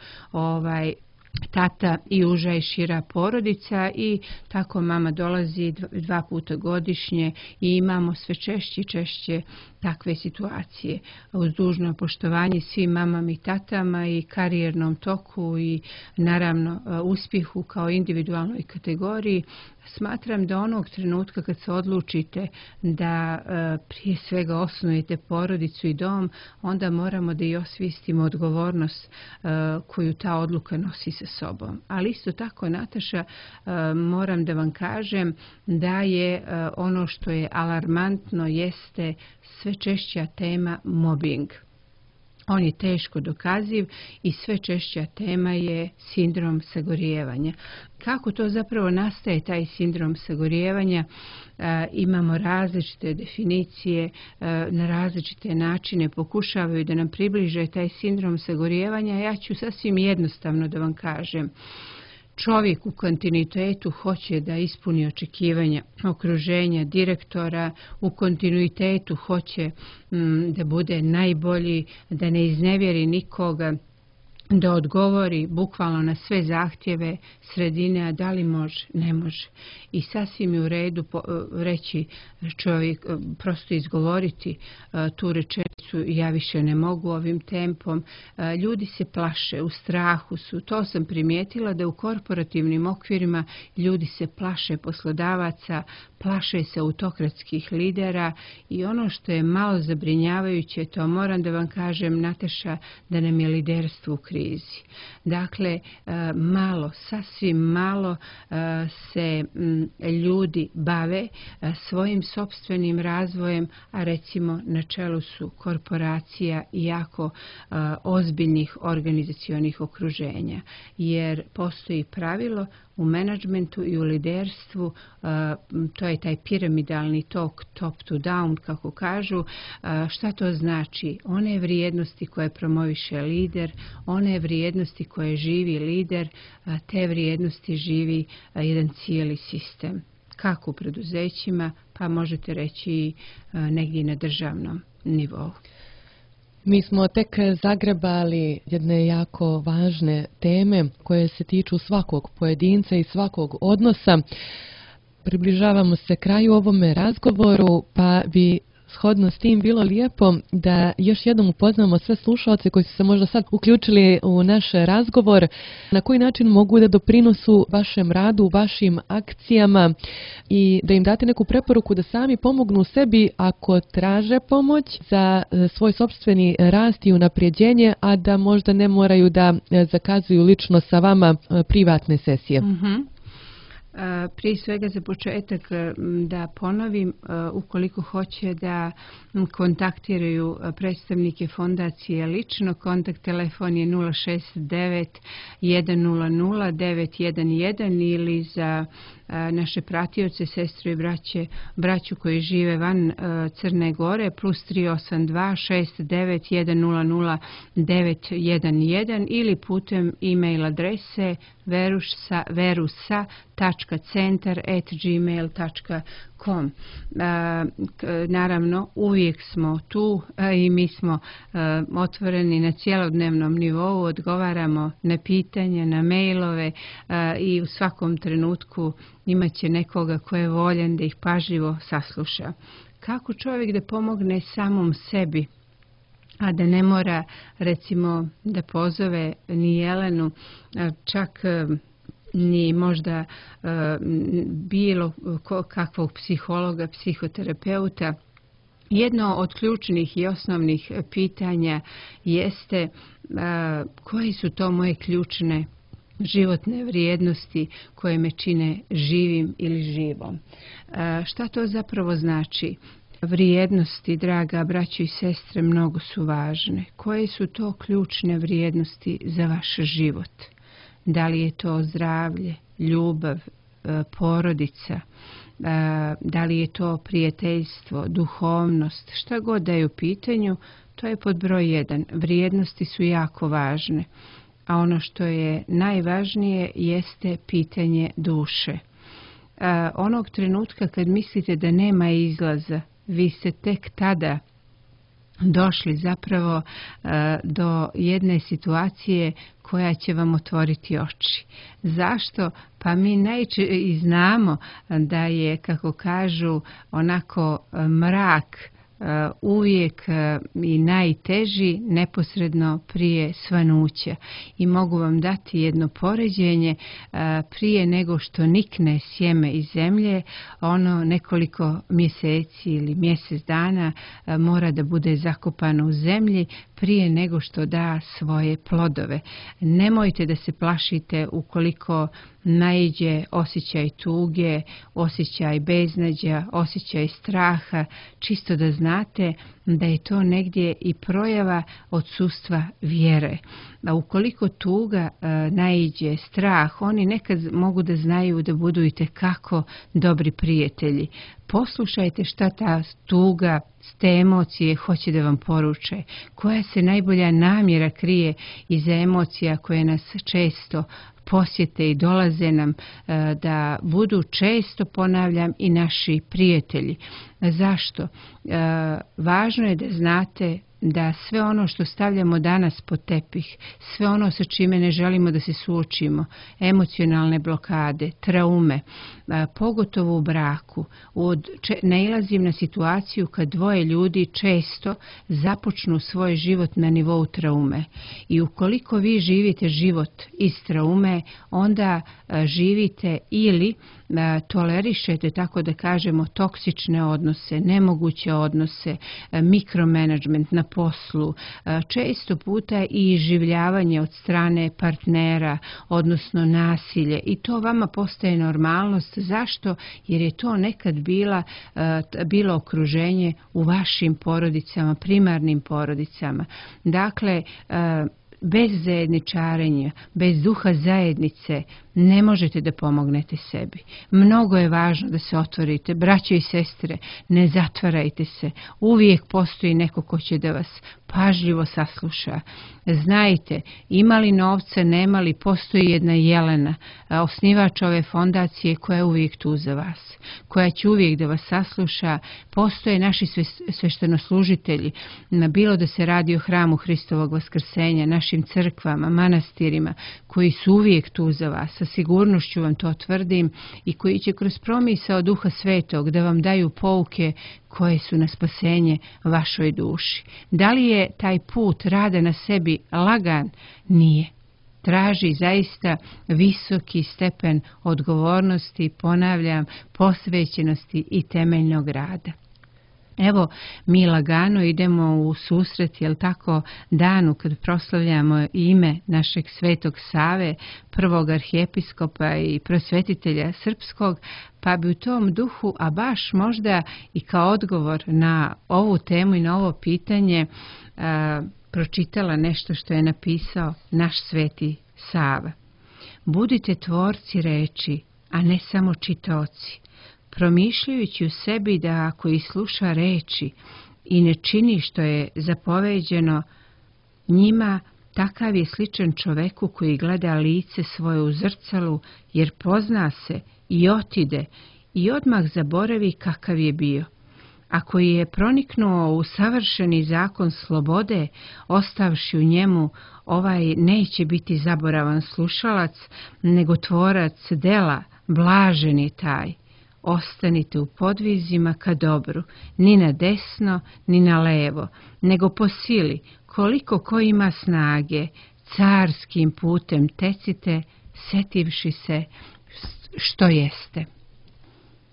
tata i uža i šira porodica i tako mama dolazi 2 puta godišnje i imamo sve češće takve situacije. Uz dužno poštovanje svim mamama i tatama i karijernom toku i naravno uspjehu kao individualnoj kategoriji, smatram da onog trenutka kad se odlučite da prije svega osnujete porodicu i dom, onda moramo da i osvijestimo odgovornost koju ta odluka nosi sa sobom. Ali isto tako, Nataša, moram da vam kažem da je ono što je alarmantno jeste sve češća tema mobbing. On je teško dokaziv i sve češća tema je sindrom sagorijevanja. Kako to zapravo nastaje, taj sindrom sagorijevanja? Imamo različite definicije, na različite načine pokušavaju da nam približe taj sindrom sagorijevanja. Ja ću sasvim jednostavno da vam kažem. Čovjek u kontinuitetu hoće da ispuni očekivanja okruženja, direktora, u kontinuitetu hoće da bude najbolji, da ne iznevjeri nikoga, da odgovori bukvalno na sve zahtjeve sredine, a da li može, ne može. I sasvim je u redu reći čovjek, prosto izgovoriti tu rečenicu, ja više ne mogu ovim tempom. Ljudi se plaše, u strahu su. To sam primijetila da u korporativnim okvirima ljudi se plaše poslodavaca, plaše se autokratskih lidera i ono što je malo zabrinjavajuće, to moram da vam kažem, Nataša, da nam je liderstvo u krizi. Dakle, malo, sasvim malo se ljudi bave svojim sopstvenim razvojem, a recimo na čelu su korporacija i jako ozbiljnih organizacionih okruženja. Jer postoji pravilo u menadžmentu i u liderstvu, to je taj piramidalni tok, top to down, kako kažu. Šta to znači? One vrijednosti koje promoviše lider, one vrijednosti koje živi lider, te vrijednosti živi jedan cijeli sistem. Kako u preduzećima, pa možete reći negdje na državnom nivou. Mi smo tek zagrebali jedne jako važne teme koje se tiču svakog pojedinca i svakog odnosa. Približavamo se kraju ovome razgovoru, pa bi shodno s tim bilo lijepo da još jednom upoznamo sve slušaoce koji su se možda sad uključili u naš razgovor, na koji način mogu da doprinosu vašem radu, vašim akcijama i da im date neku preporuku da sami pomognu sebi ako traže pomoć za svoj sopstveni rast i unapređenje, a da možda ne moraju da zakazuju lično sa vama privatne sesije. Prije svega za početak da ponovim, ukoliko hoće da kontaktiraju predstavnike fondacije lično, kontakt telefon je 069 100 911 ili za naše pratioce, sestre i braću koji žive van Crne Gore plus 382 69 100 911 ili putem e-mail adrese verusa.centar@gmail.com. Naravno, uvijek smo tu i mi smo otvoreni na cjelodnevnom nivou, odgovaramo na pitanja, na mailove i u svakom trenutku imat će nekoga ko je voljan da ih pažljivo sasluša. Kako čovjek da pomogne samom sebi, a da ne mora recimo da pozove ni Jelenu, čak ni možda bilo kakvog psihologa, psihoterapeuta. Jedno od ključnih i osnovnih pitanja jeste koje su to moje ključne životne vrijednosti koje me čine živim ili živom. Šta to zapravo znači? Vrijednosti, draga braćo i sestre, mnogo su važne. Koje su to ključne vrijednosti za vaš život? Da li je to zdravlje, ljubav, porodica, da li je to prijateljstvo, duhovnost, šta god da je u pitanju, to je pod broj 1. Vrijednosti su jako važne, a ono što je najvažnije jeste pitanje duše. Onog trenutka kad mislite da nema izlaza, vi ste tek tada došli zapravo do jedne situacije koja će vam otvoriti oči. Zašto? Pa mi i znamo da je, kako kažu, onako mrak uvijek i najteži neposredno prije svanuća. I mogu vam dati jedno poređenje, prije nego što nikne sjeme iz zemlje, ono nekoliko mjeseci ili mjesec dana mora da bude zakopano u zemlji prije nego što da svoje plodove. Nemojte da se plašite ukoliko naiđe osjećaj tuge, osjećaj beznađa, osjećaj straha, čisto da znate da je to negdje i projava odsustva vjere. A ukoliko tuga naiđe strah, oni nekad mogu da znaju da budu itekako dobri prijatelji. Poslušajte šta ta tuga, te emocije hoće da vam poruče. Koja se najbolja namjera krije iza emocija koje nas često posjete i dolaze nam da budu često, ponavljam, i naši prijatelji. Zašto? Važno je da znate da sve ono što stavljamo danas pod tepih, sve ono sa čime ne želimo da se emocionalne blokade, traume, pogotovo u braku, nailazim na situaciju kad dvoje ljudi često započnu svoj život na nivou traume. I ukoliko vi živite život iz traume, onda živite ili tolerišete, tako da kažemo, toksične odnose, nemoguće odnose, mikromanagement na poslu, često puta i iživljavanje od strane partnera, odnosno nasilje. I to vama postaje normalnost. Zašto? Jer je to nekad bilo okruženje u vašim porodicama, primarnim porodicama. Dakle, bez zajedničarenja, bez duha zajednice ne možete da pomognete sebi. Mnogo je važno da se otvorite. Braćo i sestre, ne zatvarajte se. Uvijek postoji neko ko će da vas pažljivo sasluša. Znajte, imali novca, nemali, postoji jedna Jelena, osnivač ove fondacije koja je uvijek tu za vas, koja će uvijek da vas sasluša. Postoje naši sveštenoslužitelji, bilo da se radi o hramu Hristovog vaskrsenja, našim crkvama, manastirima, koji su uvijek tu za vas, sa sigurnošću vam to tvrdim, i koji će kroz promisao Duha Svetog da vam daju pouke koje su na spasenje vašoj duši. Da li je taj put rada na sebi lagan? Nije. Traži zaista visoki stepen odgovornosti, ponavljam, posvećenosti i temeljnog rada. Evo, mi lagano idemo u susret, jel tako, danu kad proslavljamo ime našeg Svetog Save, prvog arhijepiskopa i prosvetitelja srpskog, pa bi u tom duhu, a baš možda i kao odgovor na ovu temu i na ovo pitanje, pročitala nešto što je napisao naš Sveti Sava. Budite tvorci reči, a ne samo čitaoci, promišljajući u sebi da ako i sluša reči i ne čini što je zapoveđeno njima, takav je sličan čoveku koji gleda lice svoje u zrcalu, jer pozna se i otide i odmah zaboravi kakav je bio. Ako je proniknuo u savršeni zakon slobode, ostavši u njemu, ovaj neće biti zaboravan slušalac, nego tvorac dela, blažen je taj. Ostanite u podvizima ka dobru, ni na desno, ni na levo, nego po sili, koliko ko ima snage, carskim putem tecite, setivši se što jeste.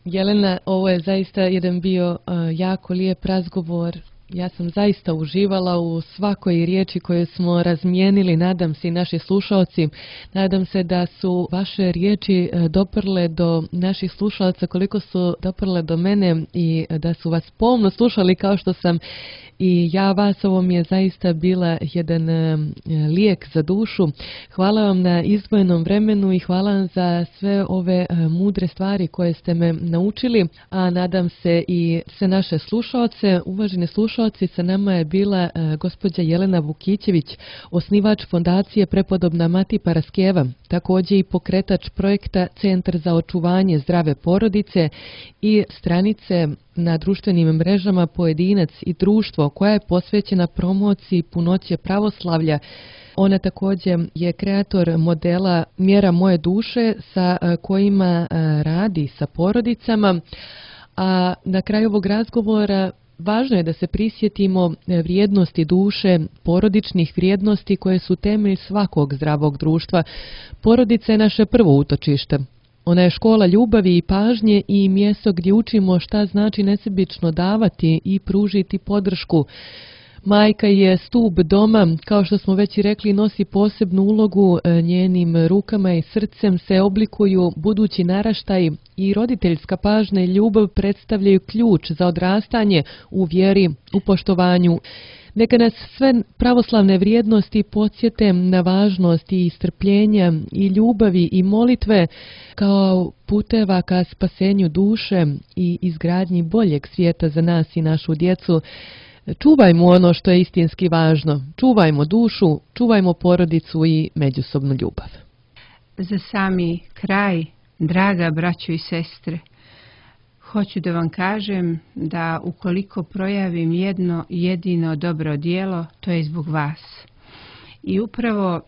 Jelena, ovo je zaista jedan bio jako lijep razgovor. Ja sam zaista uživala u svakoj riječi koju smo razmijenili, nadam se i naši slušalci. Nadam se da su vaše riječi doprle do naših slušalaca koliko su doprle do mene i da su vas pomno slušali kao što sam i ja vas. Ovo mi je zaista bila jedan lijek za dušu. Hvala vam na izdvojenom vremenu i hvala vam za sve ove mudre stvari koje ste me naučili, a nadam se i sve naše slušalce. Uvaženi slušalci, sa nama je bila gospođa Jelena Vukićević, osnivač fondacije Prepodobna Mati Paraskeva, također i pokretač projekta Centar za očuvanje zdrave porodice i stranice na društvenim mrežama Pojedinac i društvo koja je posvećena promociji punoće pravoslavlja. Ona također je kreator modela Mjera moje duše sa kojima radi sa porodicama. A na kraju ovog razgovora važno je da se prisjetimo vrijednosti duše, porodičnih vrijednosti koje su temelj svakog zdravog društva. Porodica je naše prvo utočište. Ona je škola ljubavi i pažnje i mjesto gdje učimo šta znači nesebično davati i pružiti podršku. Majka je stup doma, kao što smo već i rekli, nosi posebnu ulogu, njenim rukama i srcem se oblikuju budući naraštaji i roditeljska pažnja i ljubav predstavljaju ključ za odrastanje u vjeri, u poštovanju. Neka nas sve pravoslavne vrijednosti podsjete na važnost i strpljenja i ljubavi i molitve kao puteva ka spasenju duše i izgradnji boljeg svijeta za nas i našu djecu. Čuvajmo ono što je istinski važno. Čuvajmo dušu, čuvajmo porodicu i međusobnu ljubav. Za sami kraj, draga braćo i sestre, hoću da vam kažem da ukoliko projavim jedno jedino dobro djelo, to je zbog vas. I upravo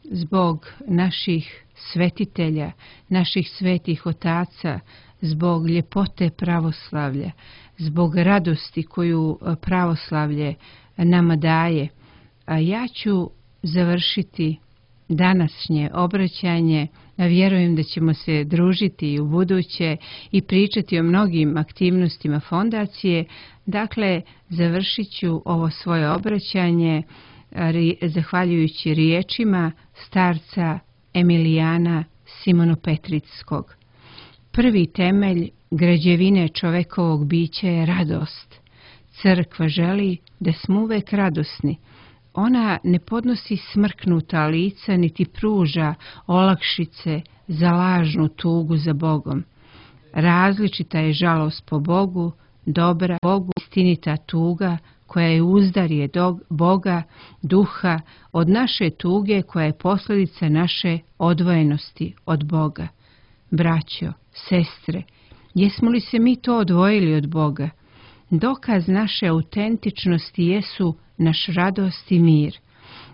zbog naših svetitelja, naših svetih otaca, zbog ljepote pravoslavlja, zbog radosti koju pravoslavlje nama daje, ja ću završiti današnje obraćanje. Vjerujem da ćemo se družiti i u buduće i pričati o mnogim aktivnostima fondacije. Dakle, završit ću ovo svoje obraćanje zahvaljujući riječima starca Emilijana Simonopetrickog. Prvi temelj građevine čovekovog bića je radost. Crkva želi da smo uvek radosni. Ona ne podnosi smrknuta lica niti pruža olakšice za lažnu tugu za Bogom. Različita je žalost po Bogu, dobra Bogu, istinita tuga koja je uzdarje Boga, duha, od naše tuge koja je posljedica naše odvojenosti od Boga. Braćo, sestre, jesmo li se mi to odvojili od Boga? Dokaz naše autentičnosti jesu naš radost i mir.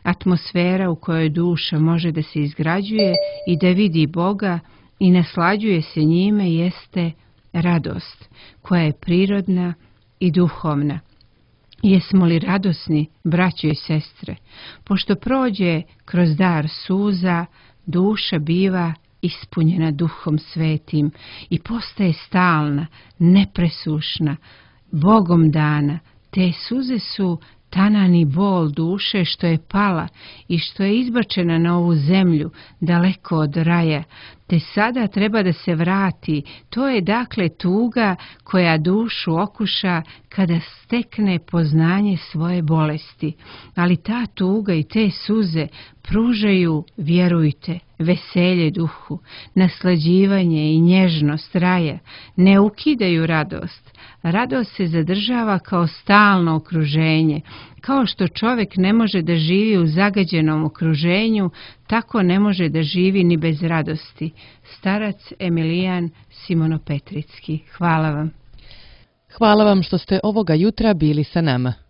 Atmosfera u kojoj duša može da se izgrađuje i da vidi Boga i naslađuje se njime jeste radost, koja je prirodna i duhovna. Jesmo li radosni, braćo i sestre? Pošto prođe kroz dar suza, duša biva ispunjena Duhom Svetim i postaje stalna, nepresušna, Bogom dana. Te suze su tanani bol duše što je pala i što je izbačena na ovu zemlju, daleko od raja, te sada treba da se vrati. To je dakle tuga koja dušu okuša kada stekne poznanje svoje bolesti. Ali ta tuga i te suze pružaju, vjerujte, veselje duhu, naslađivanje i nježnost raja, ne ukidaju radost. Radost se zadržava kao stalno okruženje. Kao što čovjek ne može da živi u zagađenom okruženju, tako ne može da živi ni bez radosti. Starac Emilijan Simonopetricki. Hvala vam. Hvala vam što ste ovoga jutra bili sa nama.